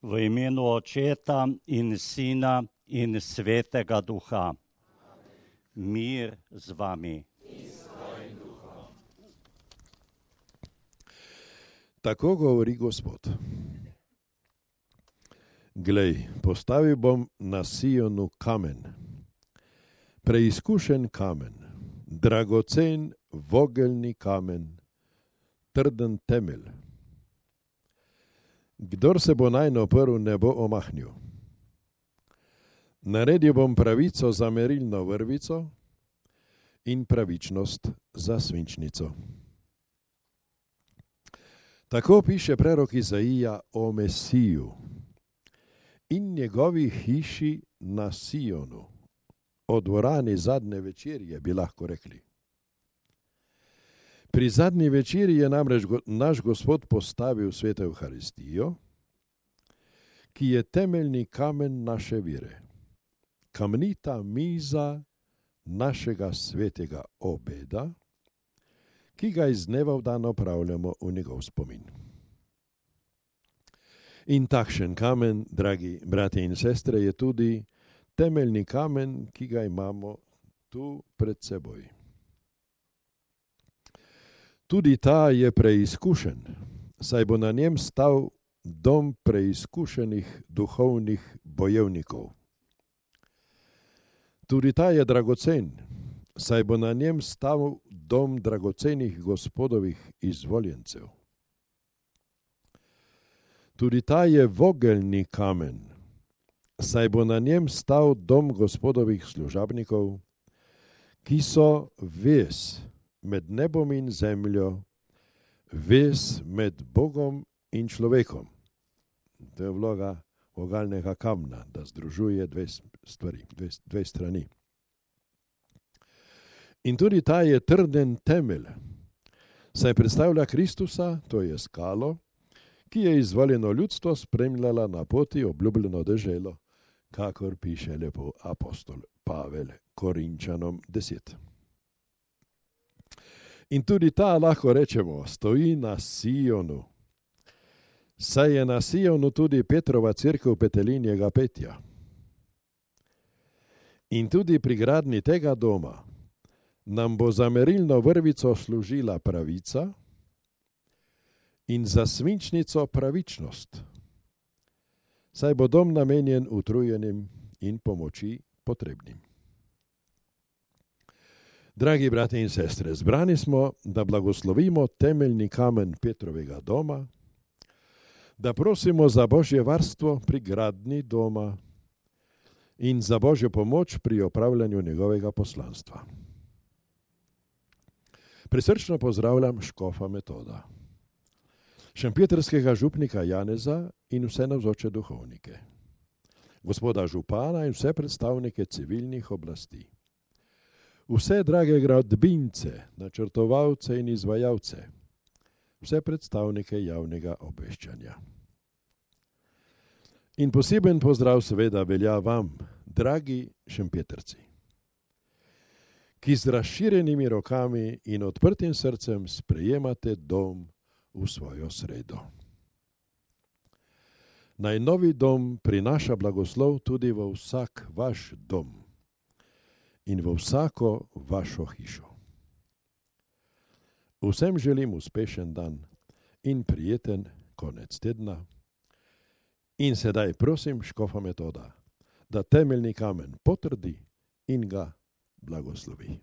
V imenu Očeta in Sina in Svetega Duha. Mir z vami. Tako govori Gospod. Glej, postavil bom na Sionu kamen, preizkušen kamen, dragocen vogelni kamen, trden temelj. Kdor se bo nanj oprl, ne bo omahnil. Naredil bom pravico za merilno vrvico in pravičnost za svinčnico. Tako piše prerok Izaija o Mesiju in njegovi hiši na Sionu, o dvorani zadnje večerje, bi lahko rekli. Pri zadnji večerji je namreč naš Gospod postavil sveto Evharistijo, ki je temeljni kamen naše vere, kamnita miza našega svetega obeda, ki ga iz dneva v dan opravljamo v njegov spomin. In takšen kamen, dragi bratje in sestre, je tudi temeljni kamen, ki ga imamo tu pred seboj. Tudi ta je preizkušen, saj bo na njem stal dom preizkušenih duhovnih bojevnikov. Tudi ta je dragocen, saj bo na njem stal dom dragocenih Gospodovih izvoljencev. Tudi ta je vogelni kamen, saj bo na njem stal dom Gospodovih služabnikov, ki so vez med nebom in zemljo, vez med Bogom in človekom. To je vloga vogalnega kamna, da združuje dve strani. In tudi ta je trden temelj, saj predstavlja Kristusa, to je skalo, ki je izvoljeno ljudstvo spremljala na poti obljubljeno deželo, kakor piše lepo apostol Pavel Korinčanom 10. In tudi ta, lahko rečemo, stoji na Sionu, saj je na Sionu tudi Petrova cerkev Petelinjega petja. In tudi pri gradnji tega doma nam bo za merilno vrvico služila pravica in za svinčnico pravičnost, saj bo dom namenjen utrujenim in pomoči potrebnim. Dragi bratje in sestre, zbrani smo, da blagoslovimo temeljni kamen Petrovega doma, da prosimo za Božje varstvo pri gradnji doma in za Božjo pomoč pri opravljanju njegovega poslanstva. Prisrčno pozdravljam škofa Metoda, šempjetrskega župnika Janeza in vse navzoče duhovnike, gospoda župana in vse predstavnike civilnih oblasti, vse drage gradbince, načrtovalce in izvajalce, vse predstavnike javnega obveščanja. In poseben pozdrav seveda velja vam, dragi šempjetrci, ki z razširjenimi rokami in odprtim srcem sprejemate dom v svojo sredo. Naj novi dom prinaša blagoslov tudi v vsak vaš dom in v vsako vašo hišo. Vsem želim uspešen dan in prijeten konec tedna. In sedaj prosim škofa Metoda, da temeljni kamen potrdi in ga blagoslovi.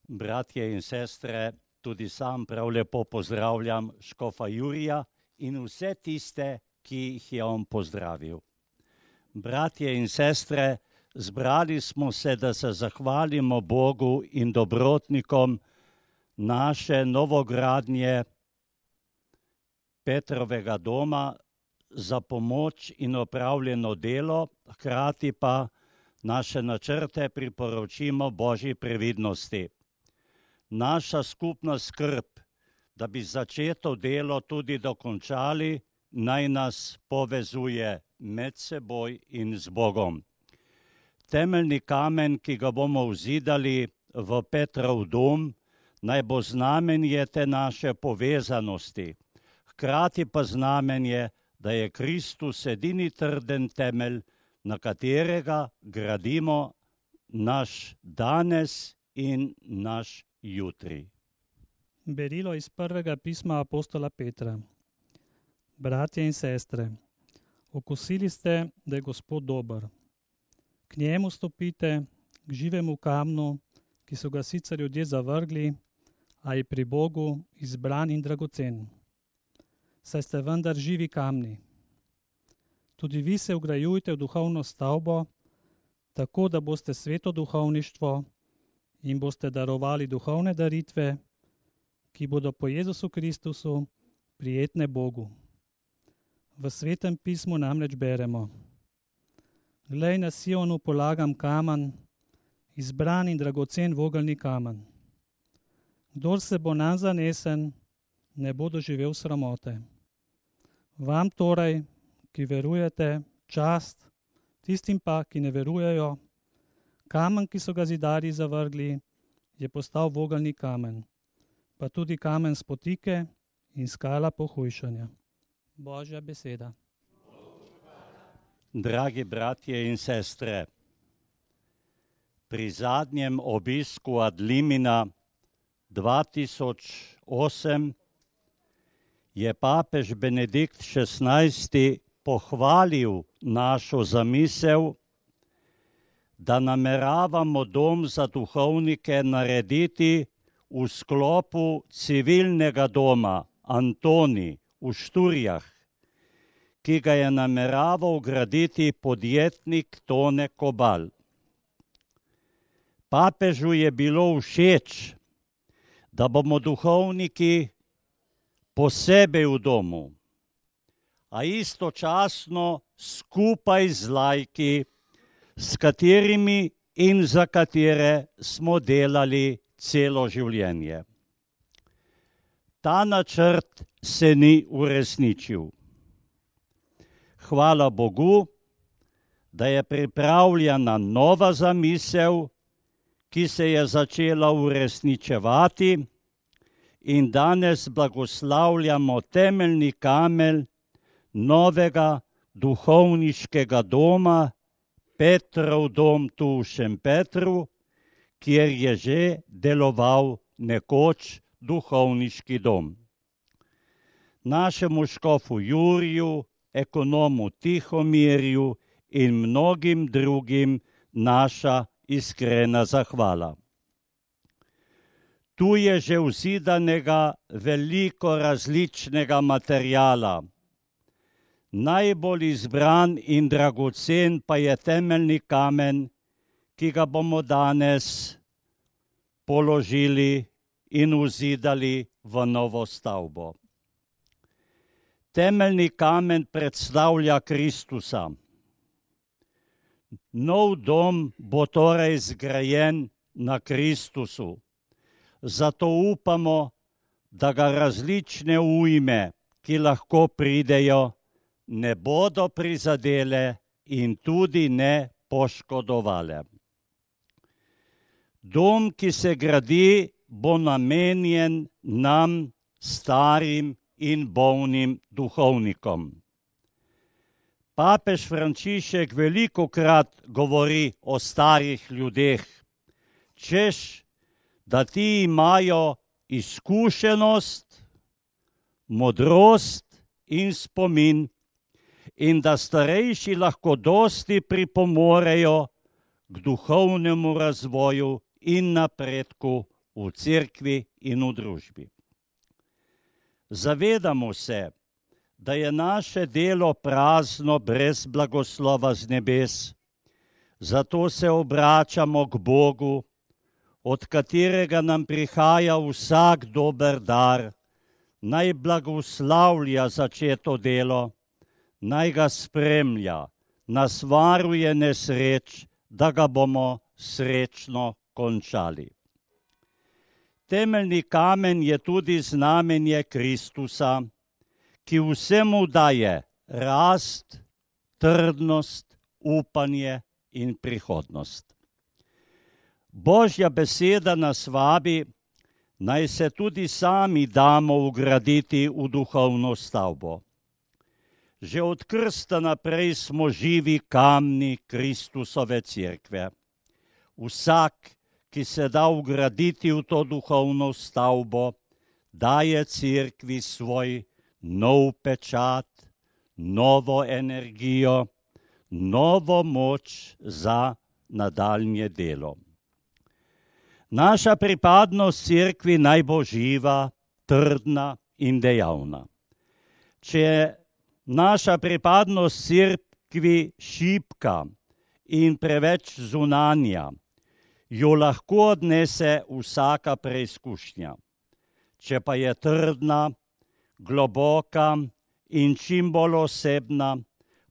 Bratje in sestre, tudi sam prav lepo pozdravljam škofa Jurija in vse tiste, ki jih je on pozdravil. Bratje in sestre, zbrali smo se, da se zahvalimo Bogu in dobrotnikom naše novogradnje Petrovega doma za pomoč in opravljeno delo, hkrati pa naše načrte priporočimo Božji previdnosti. Naša skupna skrb, da bi začeto delo tudi dokončali, naj nas povezuje med seboj in z Bogom. Temeljni kamen, ki ga bomo vzidali v Petrov dom, naj bo znamenje te naše povezanosti, hkrati pa znamenje, da je Kristus edini trden temelj, na katerega gradimo naš danes in naš jutri. Berilo iz prvega pisma apostola Petra. Bratje in sestre, okusili ste, da je Gospod dober. K njemu stopite, k živemu kamnu, ki so ga sicer ljudje zavrgli, a je pri Bogu izbran in dragocen. Saj ste vendar živi kamni. Tudi vi se vgrajujte v duhovno stavbo, tako da boste sveto duhovništvo in boste darovali duhovne daritve, ki bodo po Jezusu Kristusu prijetne Bogu. V Svetem pismu namreč beremo: Glej, na Sionu polagam kamen, izbran in dragocen vogelni kamen. Kdor se bo nanj zanesen, ne bo doživel sramote. Vam torej, ki verujete, čast, tistim pa, ki ne verujejo, kamen, ki so ga zidarji zavrgli, je postal vogelni kamen, pa tudi kamen spotike in skala pohujšanja. Božja beseda. Dragi bratje in sestre, pri zadnjem obisku ad limina 2008 je papež Benedikt XVI pohvalil našo zamisel, da nameravamo dom za duhovnike narediti v sklopu civilnega doma Antoni v Šturjah, ki ga je nameraval graditi podjetnik Tone Kobal. Papežu je bilo všeč, da bomo duhovniki posebej v domu, a istočasno skupaj z laiki, s katerimi in za katere smo delali celo življenje. Ta načrt se ni uresničil. Hvala Bogu, da je pripravljena nova zamisel, ki se je začela uresničevati, in danes blagoslavljamo temeljni kamen novega duhovniškega doma, Petrov dom tu v Šempetru, kjer je že deloval nekoč duhovniški dom. Našemu škofu Juriju, ekonomu Tihomirju in mnogim drugim naša iskrena zahvala. Tu je že vzidanega veliko različnega materiala. Najbolj izbran in dragocen pa je temeljni kamen, ki ga bomo danes položili in vzidali v novo stavbo. Temeljni kamen predstavlja Kristusa. Nov dom bo torej zgrajen na Kristusu. Zato upamo, da ga različne ujme, ki lahko pridejo, ne bodo prizadele in tudi ne poškodovale. Dom, ki se gradi, bo namenjen nam, starim in bolnim duhovnikom. Papež Frančišek velikokrat govori o starih ljudeh, češ, da ti imajo izkušenost, modrost in spomin in da starejši lahko dosti pripomorejo k duhovnemu razvoju in napredku v cerkvi in v družbi. Zavedamo se, da je naše delo prazno brez blagoslova z nebes, zato se obračamo k Bogu, od katerega nam prihaja vsak dober dar, naj blagoslavlja začeto delo, naj ga spremlja, nas varuje nesreč, da ga bomo srečno končali. Temeljni kamen je tudi znamenje Kristusa, ki vsemu daje rast, trdnost, upanje in prihodnost. Božja beseda nas vabi, naj se tudi sami damo vgraditi v duhovno stavbo. Že od krsta naprej smo živi kamni Kristusove cerkve. Vsak, ki se da vgraditi v to duhovno stavbo, daje cerkvi svoj nov pečat, novo energijo, novo moč za nadaljnje delo. Naša pripadnost cerkvi naj bo živa, trdna in dejavna. Če je naša pripadnost cerkvi šibka in preveč zunanja, jo lahko odnese vsaka preizkušnja. Če pa je trdna, globoka in čim bolj osebna,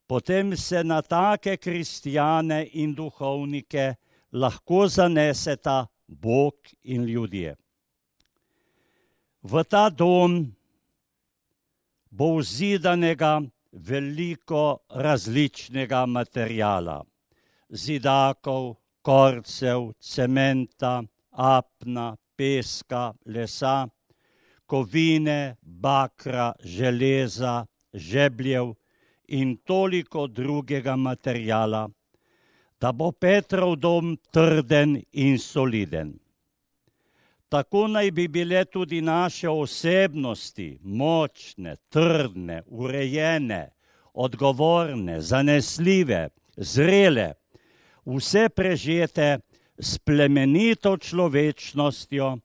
potem se na take kristjane in duhovnike lahko zaneseta Bog in ljudje. V ta dom bo vzidanega veliko različnega materijala, zidakov, korcev, cementa, apna, peska, lesa, kovine, bakra, železa, žebljev in toliko drugega materijala, da bo Petrov dom trden in soliden. Tako naj bi bile tudi naše osebnosti močne, trdne, urejene, odgovorne, zanesljive, zrele, vse prežete s plemenito človečnostjo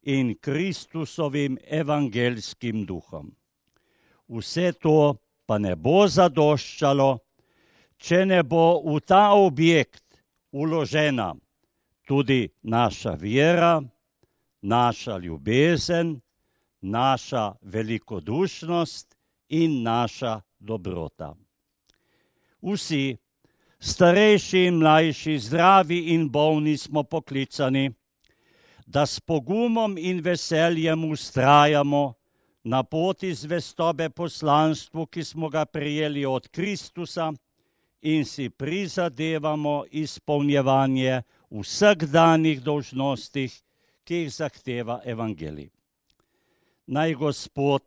in Kristusovim evangeljskim duhom. Vse to pa ne bo zadoščalo, če ne bo v ta objekt vložena tudi naša vera, naša ljubezen, naša velikodušnost in naša dobrota. Vsi, starejši in mlajši, zdravi in bolni smo poklicani, da s pogumom in veseljem vztrajamo na poti zvestobe poslanstvu, ki smo ga prejeli od Kristusa, in si prizadevamo izpolnjevanje vsakdanjih dolžnostih, ki jih zahteva evangelij. Naj Gospod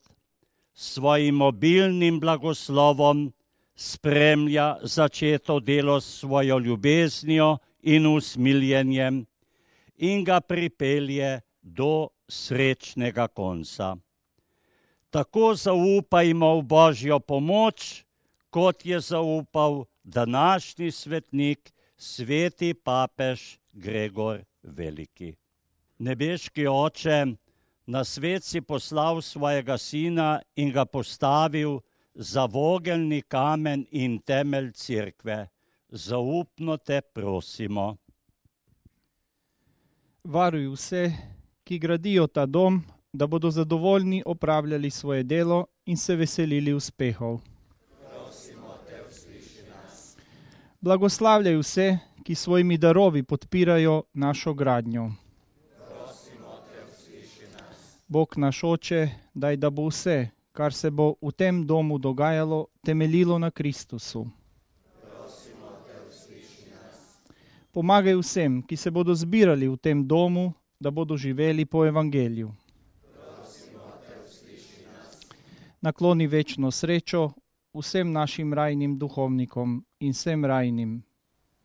s svojim obilnim blagoslovom spremlja začeto delo s svojo ljubeznijo in usmiljenjem in ga pripelje do srečnega konca. Tako zaupajmo v Božjo pomoč, kot je zaupal današnji svetnik, sveti papež Gregor Veliki. Nebeški Oče, na svet si poslal svojega sina in ga postavil za vogelni kamen in temelj cerkve. Zaupno te prosimo. Varuj vse, ki gradijo ta dom, da bodo zadovoljni opravljali svoje delo in se veselili uspehov. Prosimo te, usliši nas. Blagoslavljaj vse, ki svojimi darovi podpirajo našo gradnjo. Bog naš Oče, daj, da bo vse, kar se bo v tem domu dogajalo, temeljilo na Kristusu. Prosimo te, usliši nas. Pomagaj vsem, ki se bodo zbirali v tem domu, da bodo živeli po evangeliju. Prosimo te, usliši nas. Nakloni večno srečo vsem našim rajnim duhovnikom in vsem rajnim.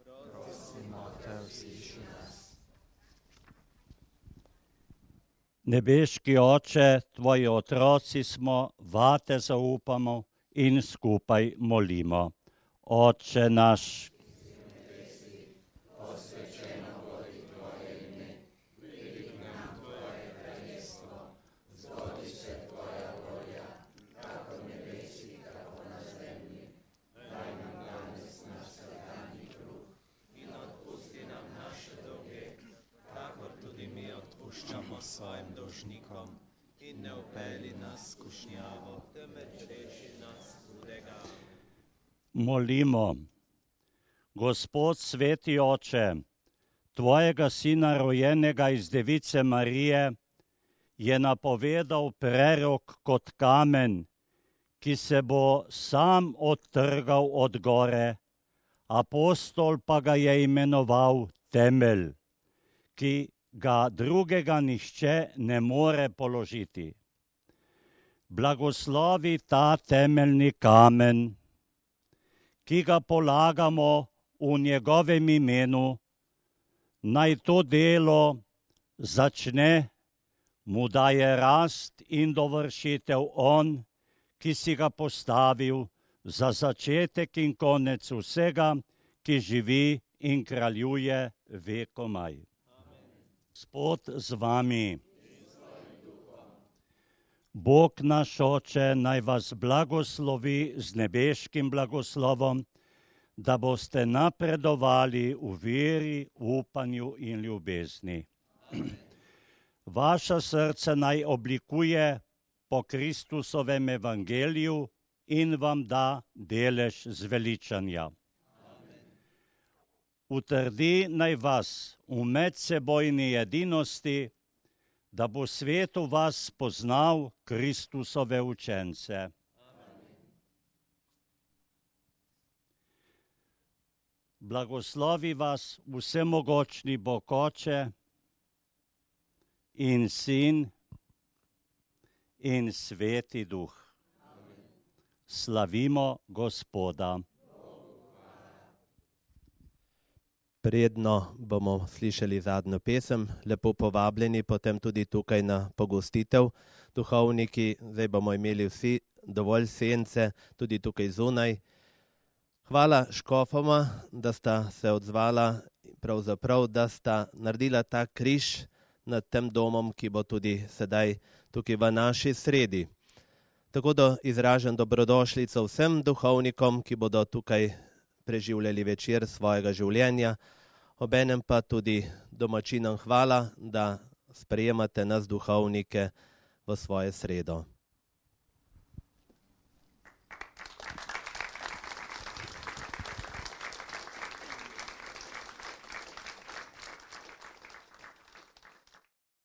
Prosimo te, usliši nas. Nebeški Oče, tvoji otroci smo, vate zaupamo in skupaj molimo. Oče naš, odpuščamo svojim dolžnikom in ne vpelji nas v skušnjavo, temveč reši nas hudega. molimo. Gospod sveti Oče, tvojega sina rojenega iz Device Marije je napovedal prerok kot kamen, ki se bo sam odtrgal od gore, apostol pa ga je imenoval temelj, ki ga drugega nihče ne more položiti. blagoslovi ta temeljni kamen, ki ga polagamo v njegovem imenu, naj to delo začne, mu daje rast in dovršitev on, ki si ga postavil za začetek in konec vsega, ki živi in kraljuje vekomaj. Gospod z vami. Bog naš Oče naj vas blagoslovi z nebeškim blagoslovom, da boste napredovali v veri, upanju in ljubezni. Vaša srce naj oblikuje po Kristusovem evangeliju in vam da delež zveličanja. Utrdi naj vas v medsebojni edinosti, da bo svet v vas spoznal Kristusove učence. Blagoslovi vas vsemogočni Bog Oče in Sin in Sveti Duh. Slavimo Gospoda. Predno bomo slišali zadnjo pesem, lepo povabljeni potem tudi tukaj na pogostitev. Duhovniki, zdaj bomo imeli vsi dovolj sence, tudi tukaj zunaj. Hvala škofoma, da sta se odzvala, pravzaprav, da sta naredila ta križ nad tem domom, ki bo tudi sedaj tukaj v naši sredi. Tako da izražam dobrodošlico vsem duhovnikom, ki bodo tukaj preživljali večer svojega življenja, obenem pa tudi domačinom hvala, da sprejemate nas duhovnike v svoje sredo.